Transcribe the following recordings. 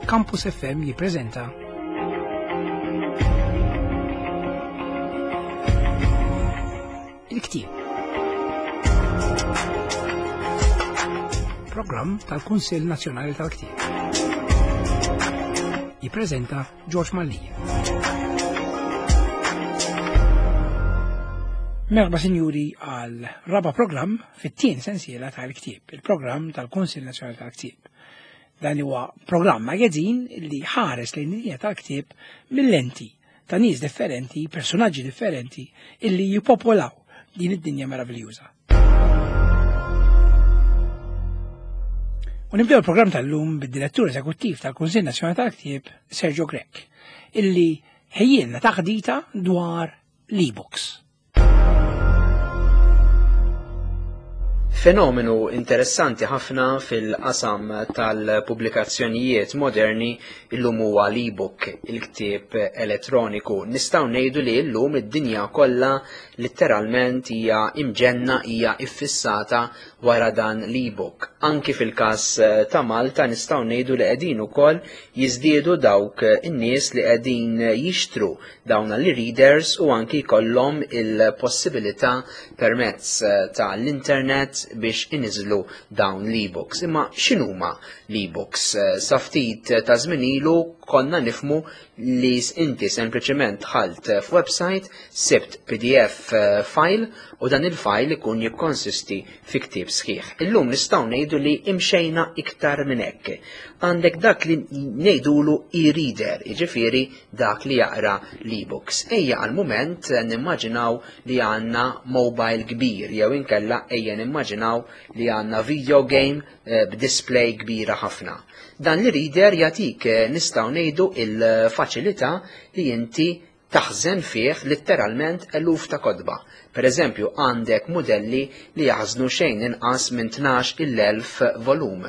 Campus FM jippreżenta Il-Ktieb. Programm tal-Kunsill Nazzjonali tal-Ktieb. Jippreżenta George Mallia. Merħba sinjuri għal raba programm fit-tien sensiela tal-ktieb, il-programm tal-Kunsill Nazzjonali tal-Ktieb. Dan huwa programm magazin li ħares lejn id tal-ktieb mill-lenti ta' nies differenti, personaġġi differenti illi jipopolaw din id-dinja meraviljuża. U nibdew il-programm tal-lum bid-direttur eżekuttiv tal-Kunsill Nazzjonali tal-Ktieb, Sergio Grech, illi ħejjilna taħdita dwar l-e-books. Fenomenu interessanti ħafna fil-qasam tal-pubblikazzjonijiet moderni illum huwa l-e-book, il-ktieb elettroniku. Nistgħu ngħidu li llum id-dinja kollha litteralment hija imġenna hija iffissata wara dan l-e-book. Anki fil-każ eh, ta' Malta nistgħu ngħidu li qegħdin ukoll jiżdiedu dawk in-nies li qegħdin jixtru dawn l-readers u anki jkollhom il-possibilità permezz eh, ta' l-internet biex iniżlu dawn l-e-books. Imma x'inhuma l-e-books? Eh, sa ftit ta' żmien ilu konna nifmu li inti sempliċement dħalt f'website, sibt PDF eh, file u dan il-file ikun jikkonsisti fi ktieb sħiħ. Illum nistgħu ngħidu li imxejna iktar minn hekk. Għandek dak li ngħidulu e-reader, jiġifieri dak li jaqra l-e-books. Ejja għal mument nimmaġinaw li għandna mobile kbir jew inkella ejja nimmaġinaw li għandna video game eh, b'display kbira ħafna. Dan li reader jagħtik eh, nistgħu ngħidu il-faċilità li inti taħżen fih litteralment eluf ta' kotba. Per eżempju, għandek mudelli li jaħżnu xejn inqas minn 12,000 volum.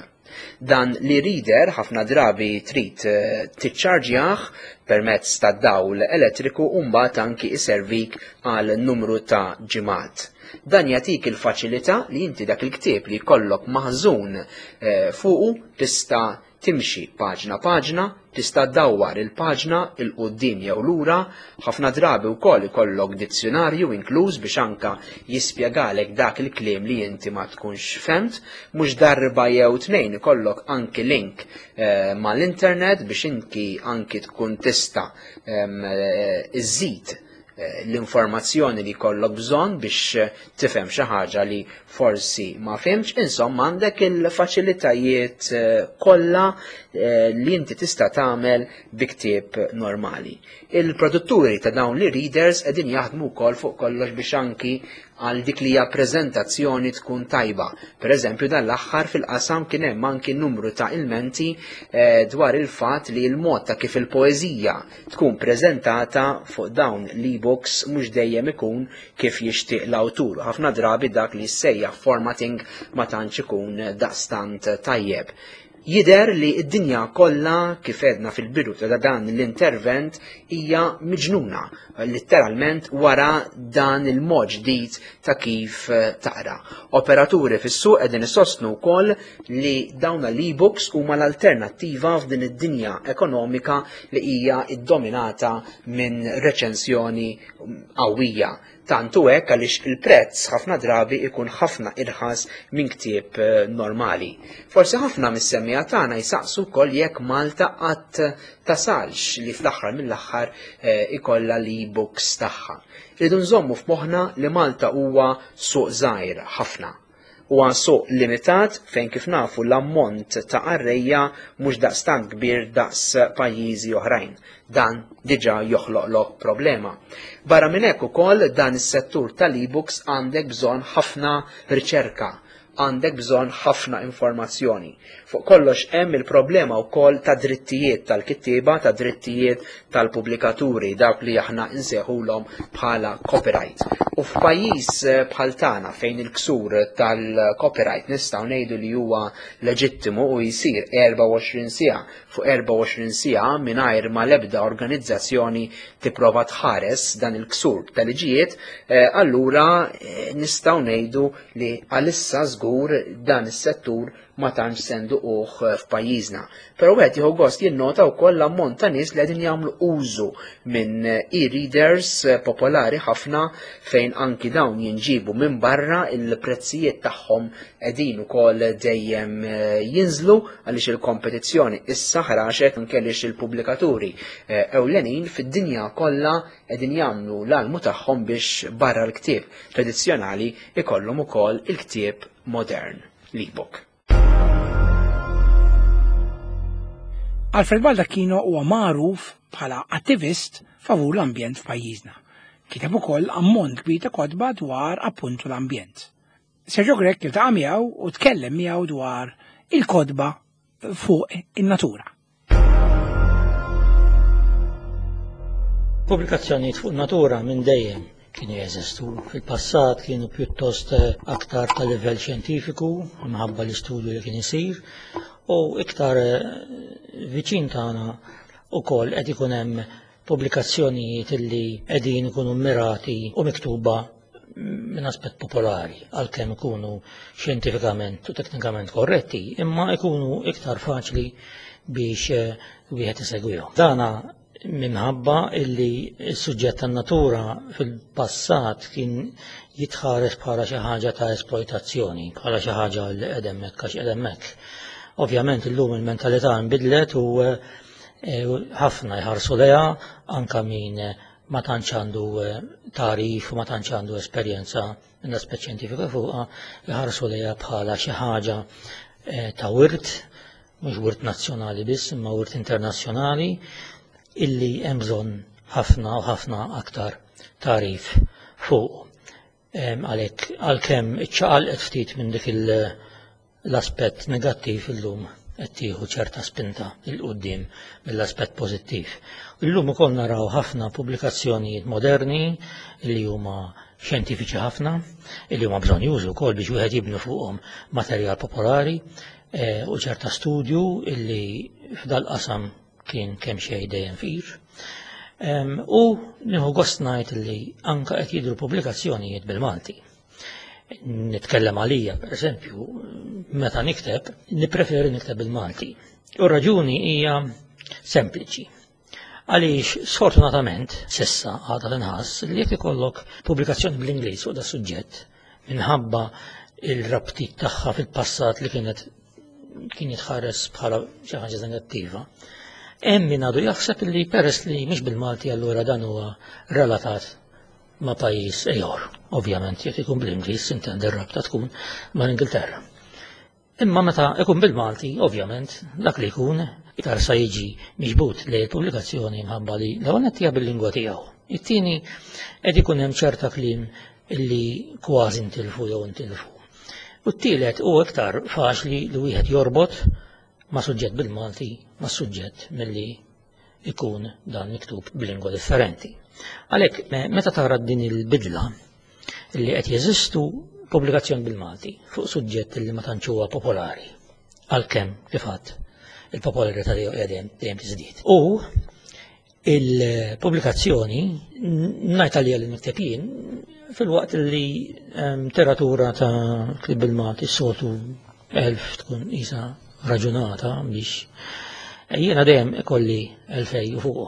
Dan li reader ħafna drabi trid eh, tiċċarġjah permezz ta' dawl elettriku u mbagħad anki iservik għal numru ta' ġimgħat. Dan jagħtik il-faċilità li inti dak il-ktieb li jkollok maħżun eh, fuqu tista' timxi paġna paġna, tista' ddawwar il-paġna 'il quddiem jew lura, ħafna drabi wkoll ikollok dizzjunarju inkluż biex anka jispjegalek dak il-kliem li inti ma tkunx fhemt, mhux darba jew tnejn ikollok anki link eh, mal-internet biex inti anki tkun tista' ehm, eh, iżżid Eh, l-informazzjoni li kollok bżonn biex eh, tifhem xi ħaġa li forsi ma fhimx, insomma għandek il-faċilitajiet eh, kollha li inti tista' tagħmel bi ktieb normali. Il-produtturi ta' dawn li readers qegħdin jaħdmu wkoll fuq kollox biex anki għal dik li hija preżentazzjoni tkun tajba. Per eżempju dan l-aħħar fil-qasam kien hemm anki numru ta' ilmenti eh, dwar il-fatt li l-mod ta' kif il-poeżija tkun preżentata fuq dawn l-e-books mhux dejjem ikun kif jixtieq l-awtur. Ħafna drabi dak li jissejjaħ formatting ma tantx ikun daqstant tajjeb. Jidher li d-dinja kollha, kif għedna fil-bidu ta' dan l-intervent, hija miġnuna, litteralment wara dan il-mod ġdid ta' kif eh, taqra. Operaturi fis-suq qegħdin isostnu wkoll li dawn l-e-books huma l-alternattiva f'din id-dinja ekonomika li hija ddominata minn reċensjoni qawwija. Tant hu hekk għaliex il-prezz ħafna drabi ikun ħafna irħas minn ktieb eh, normali. Forsi ħafna mis-semmiegħa tagħna jsaqsu wkoll jekk Malta qatt tasalx li fl-aħħar mill-aħħar eh, ikollha l-e-books tagħha. Rridu nżommu f'moħħna li Malta huwa suq żgħir ħafna. Huwa suq limitat fejn kif nafu l-ammont ta' qarrejja mhux daqstant kbir daqs pajjiżi oħrajn. Dan diġà joħloqlok problema. Barra minn hekk ukoll dan is-settur tal-e-books għandek bżonn ħafna riċerka, għandek bżonn ħafna informazzjoni. Fuq kollox hemm il-problema wkoll ta' drittijiet tal-kittieba, ta' drittijiet tal-pubblikaturi, dawk li aħna nsejħulhom bħala copyright. U f'pajjiż eh, bħal tagħna fejn il-ksur tal-copyright nistgħu ngħidu li huwa leġittimu u jsir 24 siegħa fuq 24 siegħa mingħajr ma l-ebda organizzazzjoni tipprova tħares dan il-ksur tal-liġijiet, eh, allura eh, nistgħu ngħidu li għalissa żgur. żgur dan is-settur ma tantx se nduquh f'pajjiżna. Però wieħed jieħu gost jinnota wkoll l-ammont ta' nies li qegħdin jagħmlu użu minn e-readers popolari ħafna fejn anki dawn jinġibu minn barra il-prezzijiet tagħhom qegħdin ukoll dejjem jinżlu għaliex il-kompetizzjoni issa ħraxet anke għaliex il-pubblikaturi ewlenin fid-dinja kollha qegħdin jagħmlu l-almu tagħhom biex barra l-ktieb tradizzjonali ikollhom ukoll il-ktieb modern, l-ebook. Alfred Baldacchino huwa magħruf bħala attivist favur l-ambjent f'pajjiżna. Kiteb ukoll ammont kbir ta' kotba dwar appuntu l-ambjent. Sergio Grech iltaqa' miegħu u tkellem miegħu dwar il-kotba fuq in-natura. Pubblikazzjonijiet fuq natura minn dejjem kienu jeżistu. Fil-passat kienu pjuttost eh, aktar ta' livell xjentifiku minħabba l-istudju li kien isir u iktar eh, viċin tagħna ukoll qed ikun hemm pubblikazzjonijiet li qegħdin ikunu mirati u miktuba minn aspett popolari, għalkemm ikunu xjentifikament u teknikament korretti, imma ikunu iktar faċli biex eh, wieħed isegwihom. Dana minħabba illi s-suġġett tan-natura fil-passat kien jitħares bħala xi ħaġa ta' esploitazzjoni, bħala xi ħaġa li qed hemmhekk għax qed hemmhekk. Ovvjament illum il-mentalità nbidlet u eh, ħafna jħarsu leha anka min ma tantx għandu eh, tagħrif u ma tantx għandu esperjenza minn aspett xjentifiku fuqha, jħarsu lejha bħala xi ħaġa eh, ta' wirt, mhux wirt nazzjonali biss, imma wirt internazzjonali, illi hemm bżonn ħafna u ħafna aktar tagħrif fuq. Għalhekk għalkemm iċċaqalqet ftit minn dik l-aspett negattiv illum qed tieħu ċerta spinta il quddiem mill-aspett pożittiv. Illum ukoll naraw ħafna pubblikazzjonijiet moderni li huma xjentifiċi ħafna, li huma bżonn jużu wkoll biex wieħed jibnu fuqhom materjal popolari eh, u ċerta studju illi f'dal-qasam kien kemm xejn dejjem fir. U nieħu gost ngħid li anka qed jidhru pubblikazzjonijiet bil-Malti. Nitkellem għalija, per eżempju, meta nikteb, nippreferi nikteb bil-Malti. U raġuni hija sempliċi. Għaliex sfortunatament sissa għadha tinħass li jekk ikollok pubblikazzjoni bl-Ingliż fuq da suġġett minħabba il-rabtiet tagħha fil-passat li kienet kien jitħares bħala xi ħaġa negattiva. Hemm min għadu jaħseb li peress li mhix bil-Malti allura dan huwa relatat ma' pajjiż ieħor. Ovvjament jekk ikun bl-Ingliż intendi r-rabta tkun mal-Ingilterra. Imma meta ikun bil-Malti, ovvjament, dak li jkun iktar sa jiġi miġbud li l-pubblikazzjoni mħabba li l-ewwel hija bil-lingwa tiegħu. It-tieni qed ikun hemm ċerta kliem illi kważi ntilfu jew ntilfu. U t-tielet hu iktar faċli li wieħed jorbot ma' suġġett bil-Malti ma' suġġett milli ikun dan miktub b'lingwa differenti. Għalhekk meta tara din il-bidla li qed jeżistu pubblikazzjoni bil-Malti fuq suġġett li ma tantx huwa popolari għalkemm kif għadd il-popolarità tiegħu qiegħda dejjem tiżdied. U Il-pubblikazzjoni ngħid għalija li nikteb jien fil-waqt li ehm, teratura ta' klib bil-Malti s-soltu elf tkun isa raġunata biex eh, jiena dejjem ikolli elfej u fuq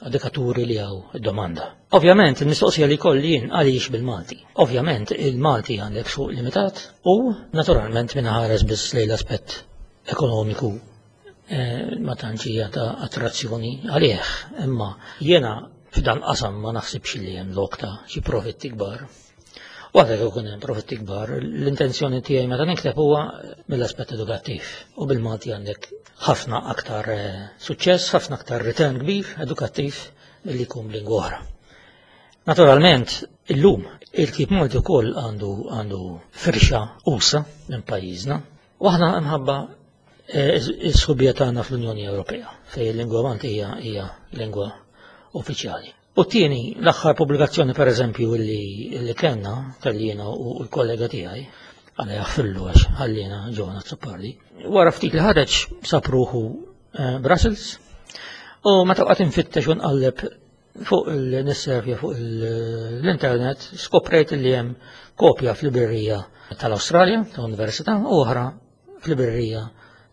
għadikaturi li għaw domanda. Ovvjament, il-mistoqsija li kolli jien għaliex bil-Malti. Ovvjament, il-Malti għandek suq limitat u naturalment minna ħares biss lejn l-aspett ekonomiku Eh, ma tantx hija ta' attrazzjoni għalih, imma jiena f'dan qasam ma naħsibx li hemm lok ta' xi profitti kbar. U anke jekk ikun hemm profitti kbar, l-intenzjoni tiegħi meta nikteb huwa mill-aspett edukattiv. U bil-Malti għandek ħafna aktar eh, suċċess, ħafna aktar return kbir edukattiv milli jkun b'lingwa oħra. Naturalment, illum il-kip Malti wkoll għandu għandu firxa usa minn pajjiżna, U aħna mħabba eh, is-sħubija tagħna fl-Unjoni Ewropea fejn il-lingwa Maltija hija lingwa uffiċjali. U t-tieni, l-aħħar pubblikazzjoni pereżempju li, li kellna, kelli jiena u l-kollega tiegħi, għala jaħfillu għax ħallina ġona Zoppardi. Wara ftit li ħareġ sab ruħu eh, Brussels u meta waqgħet infittex u nqalleb Fuq il-nisservja fuq l-internet skoprejt li hemm kopja fl-librerija tal-Awstralja, tal-Università, u oħra fl-librerija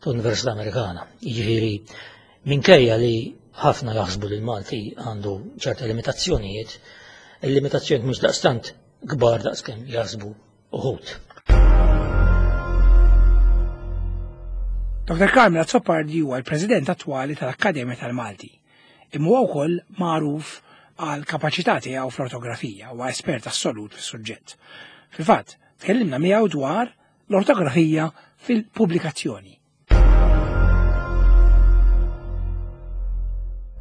tal-Università Amerikana. Jiġifieri minkejja li ħafna jaħsbu li l-Malti għandu ċerta limitazzjonijiet, il-limitazzjonijiet mhux daqstant kbar daqskemm jaħsbu uħud. Dr. Carmel Azzopardi huwa l-President attwali tal-Akkademja tal-Malti. Imma huwa wkoll magħruf għal kapaċità tiegħu fl-ortografija u espert assolut fis-suġġett. Fil-fatt, tkellimna miegħu dwar l-ortografija fil-pubblikazzjoni.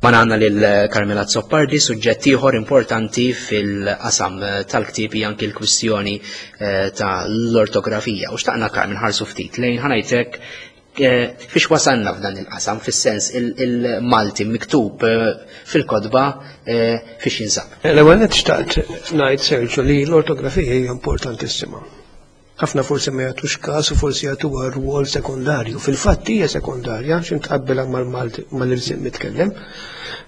Ma għandna lil Carmela Zoppardi, suġġett ieħor importanti fil-qasam tal-ktieb hija anki l-kwistjoni eh, ta' l-ortografija. U xtaqna Carmen ħarsu ftit lejn ħanajtek eh, fiex wasalna f'dan il-qasam, fis-sens il-Malti miktub eh, fil-kodba fiex jinsab. L-ewwel nett xtaqt ngħid Sergio li l-ortografija hija importantissima. Ħafna forsi ma jagħtux każ u forsi jagħtuha rwol sekondarju. Fil-fatt hija sekondarja xi tqabbilha mal-Malti mal-irsim mitkellem.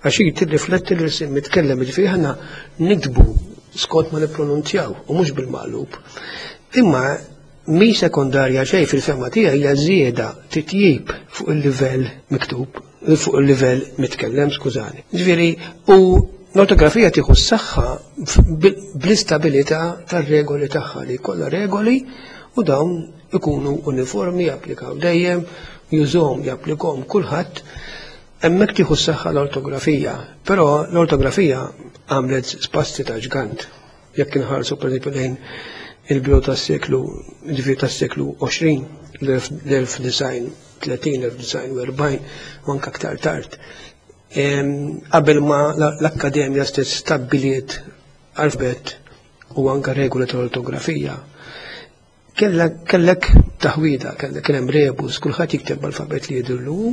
Għax hi tirrifletti l-irsim mitkellem, jiġifieri aħna niktbu skont ma nippronunzjaw u mhux bil-maqlub. Imma mi sekondarja xejn fil-fehma tiegħi hija żieda titjib fuq il-livell miktub, fuq il-livell mitkellem, skużani. Ġifieri, u l-ortografija tieħu s-saħħa bl-istabilità tar-regoli tagħha li jkollha regoli u dawn ikunu uniformi, japplikaw dejjem, jużhom, japplikhom kulħadd. Hemmhekk tieħu s-saħħa l-ortografija, però l-ortografija għamlet spassi ta' ġgant. Jekk inħarsu pereżempju lejn il-bidu tas-seklu, ġifieri tas-seklu 20, l-1930, 1940, u anke aktar tard. Qabel ma l-Akkademja stess stabbiliet alfabet u anke regoli tal-ortografija, kellek taħwida, kellek kien hemm rebus, kulħadd jikteb b'alfabet li jidhirlu hu,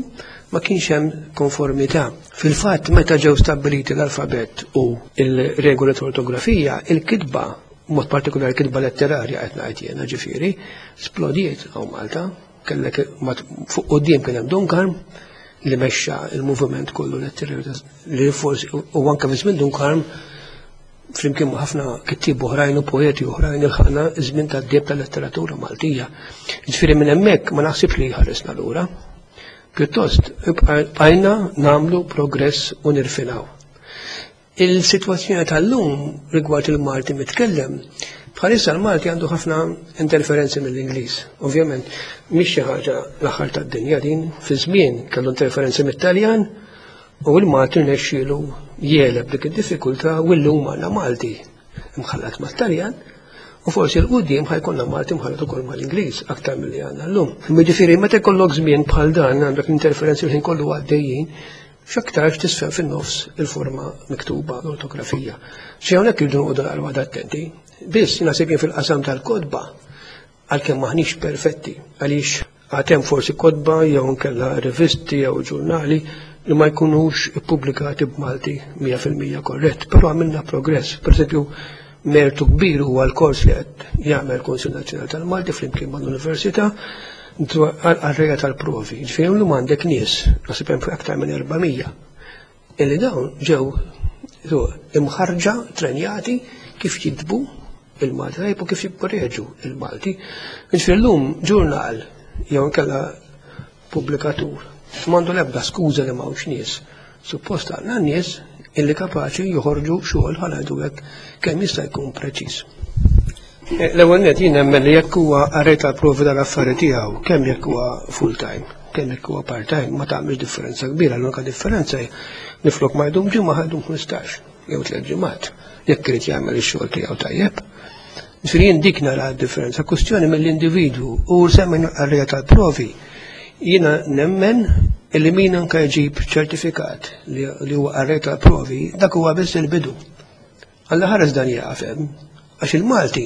ma kienx hemm konformità. Fil-fatt meta ġew stabbiliti l-alfabet u l-regoli tal-ortografija, il-kitba, mod partikolari kitba letterarja qed ngħid jiena ġifieri, splodiet hawn Malta. Kellek fuq quddiem kien hemm Dun Karm li mexxa il-moviment kollu letterarju li forsi u anke fi żmien Dun Karm flimkien ma' ħafna kittieb oħrajn u poeti oħrajn ilħaqna żmien tad-deheb tal-letteratura Maltija. Ġifieri minn hemmhekk ma naħsibx li ħaresna lura. Pjuttost bqajna nagħmlu progress u nirfinaw. Il-sitwazzjoni tal-lum rigward il-Malti mitkellem, bħalissa l-Malti għandu ħafna interferenzi mill-Ingliż. Ovvjament, mhix xi ħaġa l-aħħar tad-dinja din, fi żmien kellu interferenzi mit-Taljan u l-Malti rnexxielu jegħleb dik id-diffikultà u llum għandna Malti mħallat mat-Taljan u forsi l-qudiem ħajkollna Malti mħallat ukoll mal-Ingliż aktar milli għandna llum. Jiġifieri meta jkollok żmien bħal dan għandek interferenzi l-ħin kollu għaddejjin, X'aktarx tisfen fin-nofs il-forma miktuba, l-ortografija. Xi hawnhekk irridu noqogħdu naqra waħda attenti. Biss naħseb jien fil-qasam tal-kotba, għalkemm maħniex perfetti, għaliex għad hemm forsi kotba jew inkella rivisti jew ġurnali li ma jkunux ippubblikati b'Malti 100% korrett, però għamilna progress. Per eżempju, mertu kbir huwa l-kors li qed jagħmel Kunsill Nazzjonali tal-Malti flimkien mal-Università għal-reja tal-provi. Ġifieri llum għandek nies, naħseb hemm aktar minn 400, illi dawn ġew imħarġa, trenjati kif jiktbu il-Malti tajjeb u kif jikkoreġu il-Malti. Ġifieri llum ġurnal jew inkella pubblikatur m'għandu l-ebda skuża li m'hawnx nies. Suppost għandna nies illi kapaċi joħorġu xogħol ħa ngħidu hekk kemm jista' jkun preċiż. Eh, l-ewwel net jien nemmen li jekk huwa qarrej tal-provi tal-affari tiegħu, kemm jekk huwa full time, kemm jekk huwa part time, ma tagħmilx differenza kbira, l-unika differenza hi li flok ma jdum ġimgħa ħa jdum 15 jew tliet ġimgħat jekk irid jagħmel ix-xogħol tiegħu tajjeb. Ġifieri jien dik nara d-differenza, kwestjoni mill-individwu u semmejna l-qarrejja tal-provi. Jiena nemmen illi min anke jġib ċertifikat li huwa qarrej tal-provi, dak huwa biss il-bidu. Alla ħares dan jieqaf hemm, għax il-Malti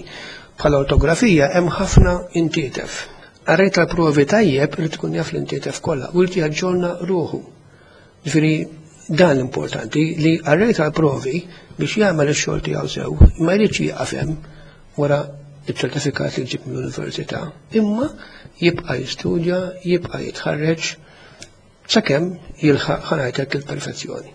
bħala ortografija hemm ħafna intietef. Qarrej tal-provi tajjeb irid ikun jaf l-intietef kollha u jrid jaġġorna ruħu. Ġifieri dan l-importanti li qarrej tal-provi biex jagħmel ix-xogħol tiegħu sew ma jridx jieqaf hemm wara iċ-ċertifikat li jġib mill-università, imma jibqa' jistudja, jibqa' jitħarreġ sakemm jilħaq ħa ngħidlek il-perfezzjoni.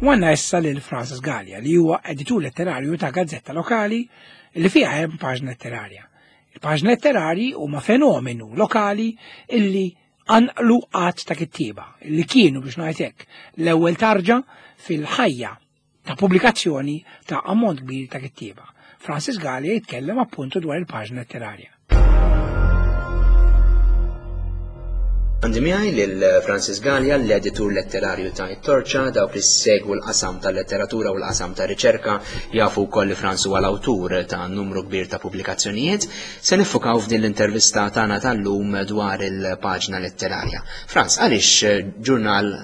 U għandna issa lil Francis Gallia li huwa editur letterarju ta' gazzetta lokali li fiha hemm paġna letterarja. Il-paġna letterarji huma fenomenu lokali illi anqlu qatt ta' kittieba li kienu biex ngħid hekk l-ewwel tarġa fil-ħajja ta' pubblikazzjoni ta' ammont kbir ta' kittieba. Francis Gallia jitkellem appuntu dwar il-paġna letterarja. Għandi miegħi lil Francis Gallia, l-editur letterarju ta' It-Torċa, dawk li segwu l-qasam tal-letteratura u l-qasam ta' riċerka jafu wkoll li Franz huwa l-awtur ta' numru kbir ta' pubblikazzjonijiet. Se niffukaw f'din l-intervista tagħna tal-lum dwar il-paġna letterarja. Franz, għaliex ġurnal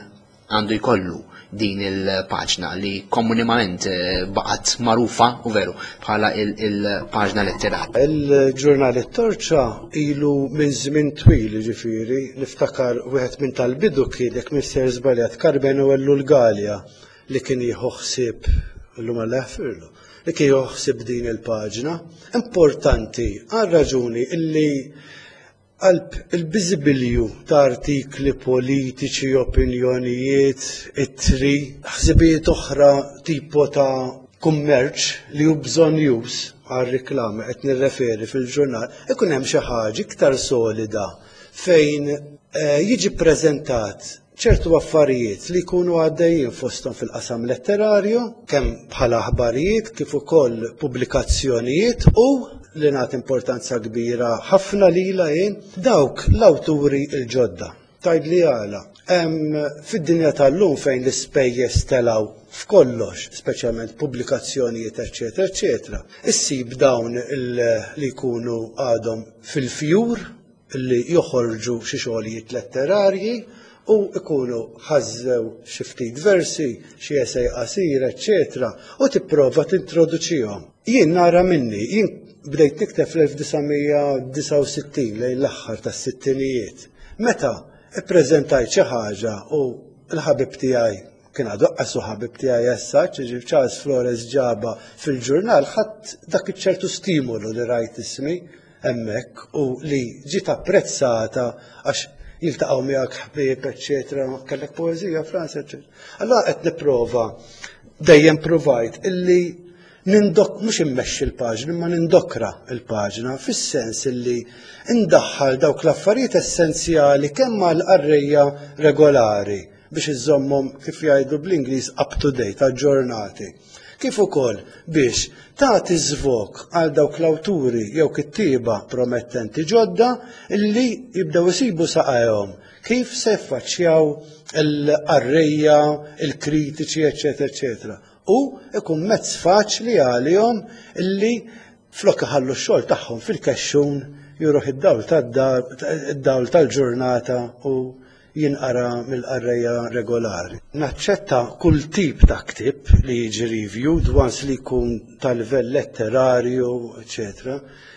għandu jkollu din il-paġna li komunimament eh, baqgħet magħrufa u veru bħala il-paġna letterarja. Il-ġurnal it-Torċa ilu minn żmien twil ġifieri, niftakar wieħed minn tal-bidu kien jekk mister żbaljat Karmenu Ellul Galea li kien jieħu ħsieb illum Alla jaħfirlu, li kien jieħu ħsieb din il-paġna. Importanti għal raġuni illi Qalb il-biżibilju ta' artikli politiċi, opinjonijiet, ittri, ħsibijiet oħra tipo ta' kummerċ li hu bżonnjuż għar-riklami qed nirreferi fil-ġurnal, ikun hemm xi ħaġa iktar solida fejn eh, jiġi ppreżentat ċertu affarijiet li jkunu għaddejjin fosthom fil-qasam letterarju, kemm bħala aħbarijiet kif ukoll pubblikazzjonijiet u li nagħti importanza kbira ħafna lilha jien dawk l-awturi l-ġodda. Tgħidli għala. Hemm fid-dinja tal-lum fejn l-ispejjeż telgħu f'kollox, speċjalment pubblikazzjonijiet eċċetera eċċetera, issib dawn li jkunu għadhom fil-fjur li joħorġu xi xogħlijiet letterarji u jkunu ħażżew xi ftit versi, xi esej qasir, eċċetera, u tipprova tintroduċihom. Jien nara minni, jien bdejt nikteb fl-1969 lejn l-aħħar tas-sittinijiet. Meta ippreżentajt xi ħaġa u l-ħabib tiegħi kien għadu qasu ħabib tiegħi issa, ġifieri Charles Flores ġaba fil-ġurnal, ħadd dak iċ-ċertu stimolu li rajt ismi hemmhekk u li ġiet apprezzata għax jiltaqgħu miegħek ħbieb, eċċetera, kellek poeżija Franz, eċċetera. Allora qed nipprova dejjem provajt illi nindok mhux immexxi l-paġna imma nindokra l-paġna fis-sens illi indaħħal dawk l-affarijiet essenzjali kemm għall-qarrejja regolari biex iżommhom kif jgħidu bl-Ingliż up to date, aġġornati. Kif ukoll biex tagħti żvog għal dawk l-awturi jew kittieba promettenti ġodda li jibdew isibu saqajhom kif se jaffaċċjaw il-qarrejja, il-kritiċi, eċetera, eċetera. U ikun mezz faċli għalihom li flok iħallu x-xogħol tagħhom fil-kexxun juruh id-dawl tad-dar, id-dawl tal-ġurnata u jinqara mill-qarrejja regolari. Naċċetta kull tip ta' ktieb li jiġi reviewed once li jkun ta' livell letterarju, eċetera.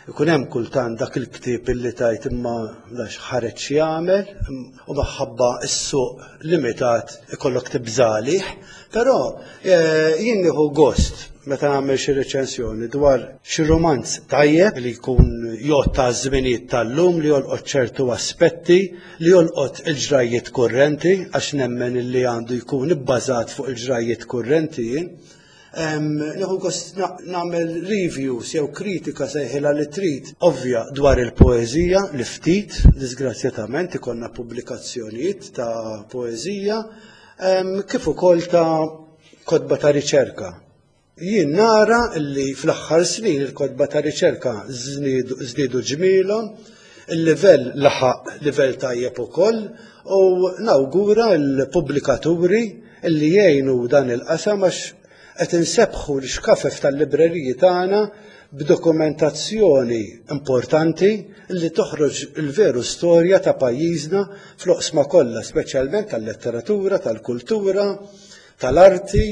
Ikun hemm kultant dak il-ktieb illi tgħid imma dax ħareġ jagħmel u maħabba s-suq limitat ikollok tibża' għalih, però eh, jien nieħu gost meta nagħmel xi reċensjoni dwar xi rumanz tajjeb li jkun jgħodd għaż-żminijiet tal-lum li jolqot ċertu aspetti li jolqot il-ġrajjiet kurrenti għax nemmen li għandu jkun ibbażat fuq il-ġrajjiet kurrenti jien. Nieħu gost nagħmel reviews jew kritika sejħilha li trid ovvja dwar il-poeżija li ftit, disgrazzjatament ikollna pubblikazzjonijiet ta' poeżija, kif ukoll ta' kotba ta' riċerka. Jien nara li fl-aħħar snin il-kotba ta' riċerka żdiedu ġmielhom, il-livell laħaq livell tajjeb ukoll u nawgura l-pubblikaturi li jgħinu dan il-qasam għax qed insebbħu l-xkafef tal-libreriji tagħna b'dokumentazzjoni importanti li toħroġ il-veru storja ta' pajjiżna fl-oqsma kollha, speċjalment tal-letteratura, tal-kultura, tal-arti,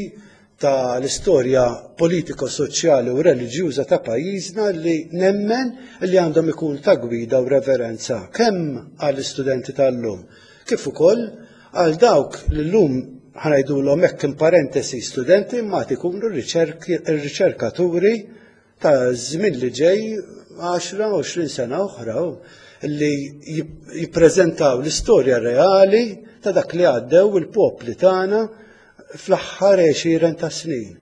ta' l-istorja politiko-soċjali u reliġjuża ta' pajjiżna li nemmen li għandhom ikun ta' gwida u reverenza kemm għall-istudenti tal-lum kif ukoll għal dawk li llum ħanajdulhom hekk in parentesi studenti imma għad ikunu r-riċerkaturi ta' żmien li ġej 10-20 sena oħra li jippreżentaw l-istorja reali ta' dak li għaddew il-popli tagħna. fl-aħħar għexieren ta' snin.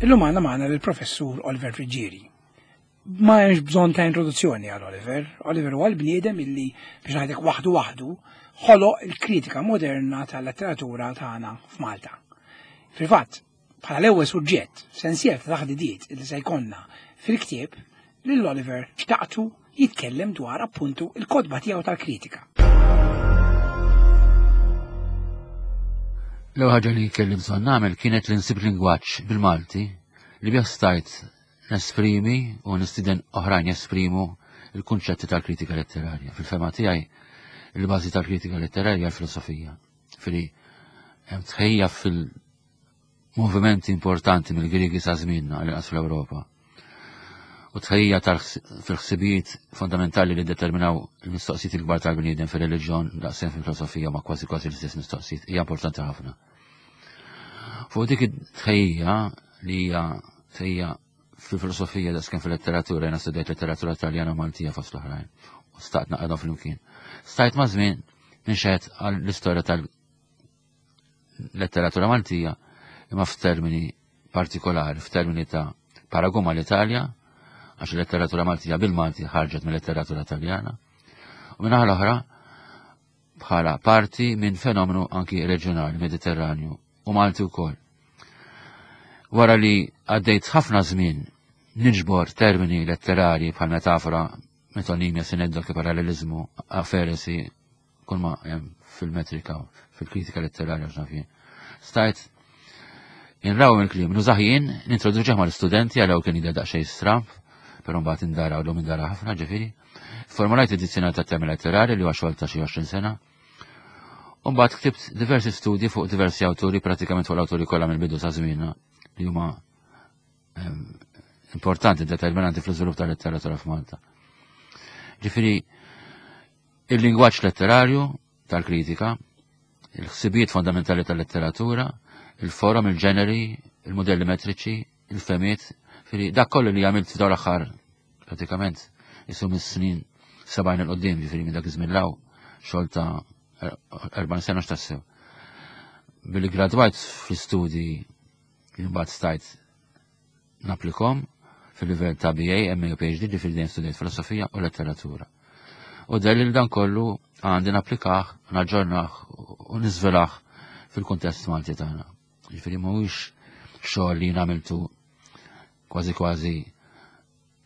Illum għandna magħna lill-Professur Oliver Friggieri. Ma hemmx bżonn ta' introduzzjoni għal Oliver. Oliver huwa l-bniedem illi biex ngħidlek waħdu waħdu ħoloq il-kritika moderna tal-letteratura tagħna f'Malta. Fil-fatt, bħala l-ewwel suġġett f'sensiela ta' taħdidiet li se jkollna fil-ktieb, lil Oliver xtaqtu jitkellem dwar appuntu il-kotba tiegħu tal-kritika. L-ewwel ħaġa li kelli bżonn nagħmel kienet li nsib lingwaġġ bil-Malti li bih stajt nesprimi u nistieden oħrajn jesprimu il-kunċetti tal-kritika letterarja. Fil-fema tiegħi, il-bażi tal-kritika letterarja l-filosofija. Fili hemm tħejja fil-movimenti importanti mill-Griegi sa żmienna għal inqas fl-Ewropa. U tħejja fil-ħsibijiet fondamentali li determinaw il-mistoqsijiet il-kbar tal-bniedem fil-reliġjon daqsejn fil-filosofija ma kważi kważi l-istess mistoqsijiet hija importanti ħafna. Fuq dik it-tħejja li hija tħejja fil-filosofija da sken fil-letteratura, jena studjajt letteratura taljana u Maltija fost l-oħrajn. U staqt naqadhom flimkien. Stajt ma' żmien ninxed għal l-istorja tal-letteratura Maltija imma f'termini partikolari, f'termini ta' paragun mal-Italja, għax il-letteratura Maltija bil-Malti ħarġet mill-letteratura Taljana. U minnaħa l-oħra, bħala parti minn fenomenu anki reġjonali Mediterranju u Malti wkoll. Wara li għaddejt ħafna żmien niġbor termini letterari bħal metafora, metonimja, sineddoki, parallelizmu, aferesi, kull ma hemm fil-metrika, fil-kritika letterarja x'naf jien. Stajt inraw il-kliem, nużah jien, nintroduċih mal-istudenti għalew kien jidher daqsxejn stramp, però mbagħad indara u l-lum indara ħafna ġifieri. Formulajt id-dizzjonarju tat-temi letterari li huwa xogħol ta' xi 20 sena. U mbagħad ktibt diversi studji fuq diversi awturi, pratikament fuq l-awturi kollha mill-bidu sa żmienna li huma ehm, importanti, determinanti fl-iżvilupp tal-letteratura f'Malta. Ġifieri il-lingwaġġ letterarju tal-kritika, il-ħsibijiet fondamentali tal-letteratura, il-forom, il-ġeneri, il-modelli metriċi, il-femiet, firi dak kollu li għamilt f'dawn l-aħħar pratikament isu mis-snin 70 il-qoddim, ġifieri minn dak iż-żmien law xogħol ta' 40 sena x'tassew. Billi gradwajt fl-istudji li mbagħad stajt naplikom fil-livell ta' BA, MA u PhD, ġifieri dejjem studjajt filosofija u letteratura. U dalli li dan kollu għandi napplikah, naġġornah u niżvelah fil-kuntest Malti tagħna. Ġifieri mhuwiex xogħol li jien għamiltu kważi kważi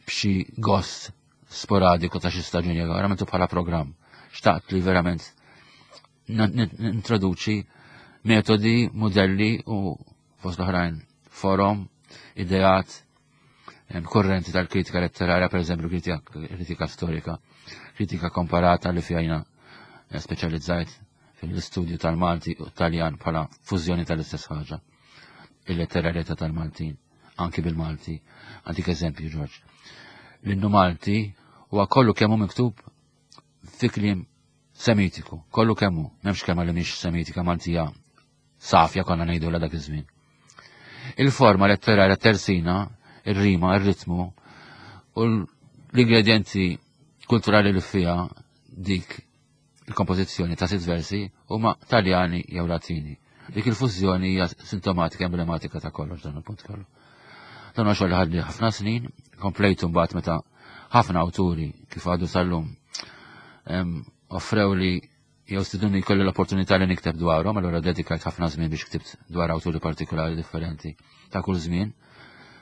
b'xi gost sporadiku ta' xi staġun jew għamiltu bħala programm. Xtaqt li verament nintroduċi metodi, modelli u fost l-oħrajn forum, ideat, korrenti tal-kritika letterarja, per eżempju kritika storika, kritika komparata li fjajna eh, speċjalizzajt fil-istudju tal-Malti u Taljan bħala fużjoni tal-istess ħaġa. Il-letterarjetà tal-Maltin, anki bil-Malti. Għandik eżempju, Ġorġ. L-innu Malti huwa kollu kemm hu miktub fi kliem semitiku, kollu kemm hu, m'hemmx kelma li mhix semitika Maltija safja konna ngħidu dak iż-żmien. Il-forma letterarja tersina, ir-rima, ir-ritmu u l-ingredienti kulturali li fiha dik il-kompożizzjoni ta' sitt versi huma Taljani jew Latini. Dik il-fużjoni hija sintomatika emblematika ta' kollox dan il-punt kollu. Dan huwa xogħol li ħadli ħafna snin, komplejtu mbagħad meta ħafna awturi kif għadu sal-lum offrew li jew stiduni jkolli l-opportunità li nikteb dwarhom, allura dedikajt ħafna żmien biex ktibt dwar awturi partikolari differenti ta' kull żmien.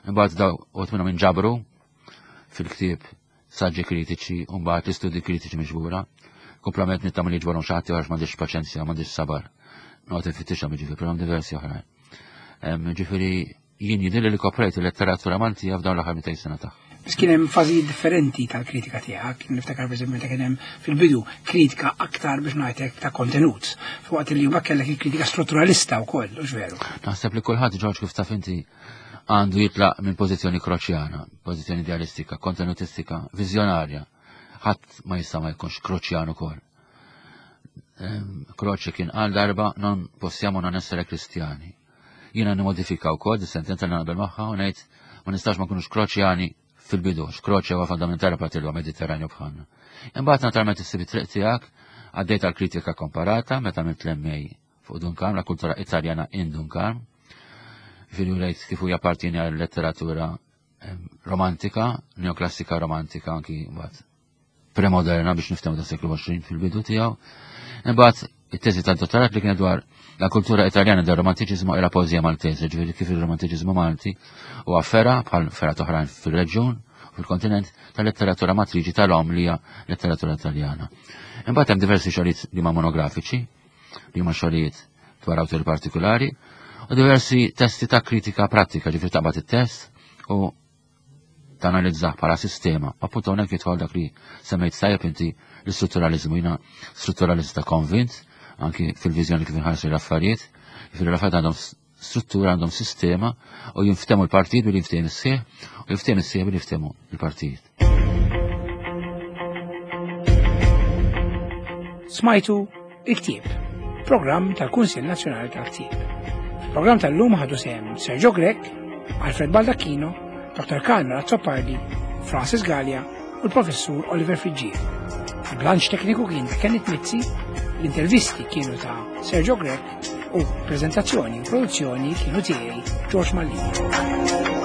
Imbagħad daw għot minnhom inġabru fil-ktieb saġġi kritiċi u mbagħad l-istudji kritiċi miġbura. Kumplament nittama li ġborhom xi ħadd għax m'għandix paċenzja, m'għandix sabar. Noqgħod infittixhom jiġifieri, però diversi oħrajn. Ġifieri jien jidhirli li koprejt il-letteratura Maltija f'dawn l-aħħar 200 sena tagħha. Biss kien hemm fażijiet differenti tal-kritika tiegħek, niftakar pereżempju meta kien hemm fil-bidu kritika aktar biex ngħidlek ta' kontenut, fuqat li huma kellek il-kritika strutturalista wkoll, hux veru. Naħseb li kulħadd Ġorġ kif taf inti għandu jitlaq minn pożizzjoni kroċjana, pożizzjoni idealistika, kontenutistika, viżjonarja. Ħadd ma jista' ma jkunx kroċjan ukoll. Ehm, Kroċi kien qal darba non possiamo non essere kristjani. Jiena nimodifika wkoll dis-sentenza li naqbel magħha u ngħid ma nistax ma nkunux kroċjani fil-bidu, x'kroċja huwa fondamentali parti l Mediterranju bħalna. Imbagħad naturalment issib it-triq tiegħek Għaddejt għal kritika komparata meta għamilt l-MA fuq Dun Karm, la kultura Italjana in Dun Karm. Ġifieri rejt kif hu jappartieni għal letteratura romantika, neoklassika romantika anki mbagħad premoderna biex niftehmu ta' seklu 20 fil-bidu tiegħu. Imbagħad it-teżi tad-dottorat li kienet dwar la kultura Italjana del romantiċiżmu e la poeżija Maltese, ġifieri kif il-romantiċiżmu Malti huwa fera bħal fera oħrajn fil-reġjun fil-kontinent tal-letteratura matriċi tal-om li hija letteratura Italjana. Imbagħad hemm diversi xogħlijiet li huma monografiċi, li huma xogħlijiet dwar awturi partikolari, u diversi testi ta' kritika pratika, ġifieri taqbad it-test u tanalizzah bħala sistema. Appunto hawnhekk jidħol dak li semmejt tajjeb inti l-istrutturaliżmu. Jiena strutturalista konvint, anki fil-viżjoni kif inħarsu l-affarijiet, jiġifieri l-affarijiet għandhom struttura, għandhom sistema u jinftemu l-partijiet billi jinftehim is-sieħ u jinftehim is-sieħ billi jinftehmu l-partijiet. Smajtu il-ktieb, programm tal-Kunsill Nazzjonali tal-Ktieb. Fil-programm tal-lum ħadu sehem Sergio Grech, Alfred Baldacchino, Dr. Carmel Azzopardi, Francis Gallia u l-Professur Oliver Friggier. Il-blanċ tekniku kien ta' Kenneth Mizzi, l-intervisti kienu ta' Sergio Grech u prezentazzjoni u produzzjoni kienu tiegħi George Mallini.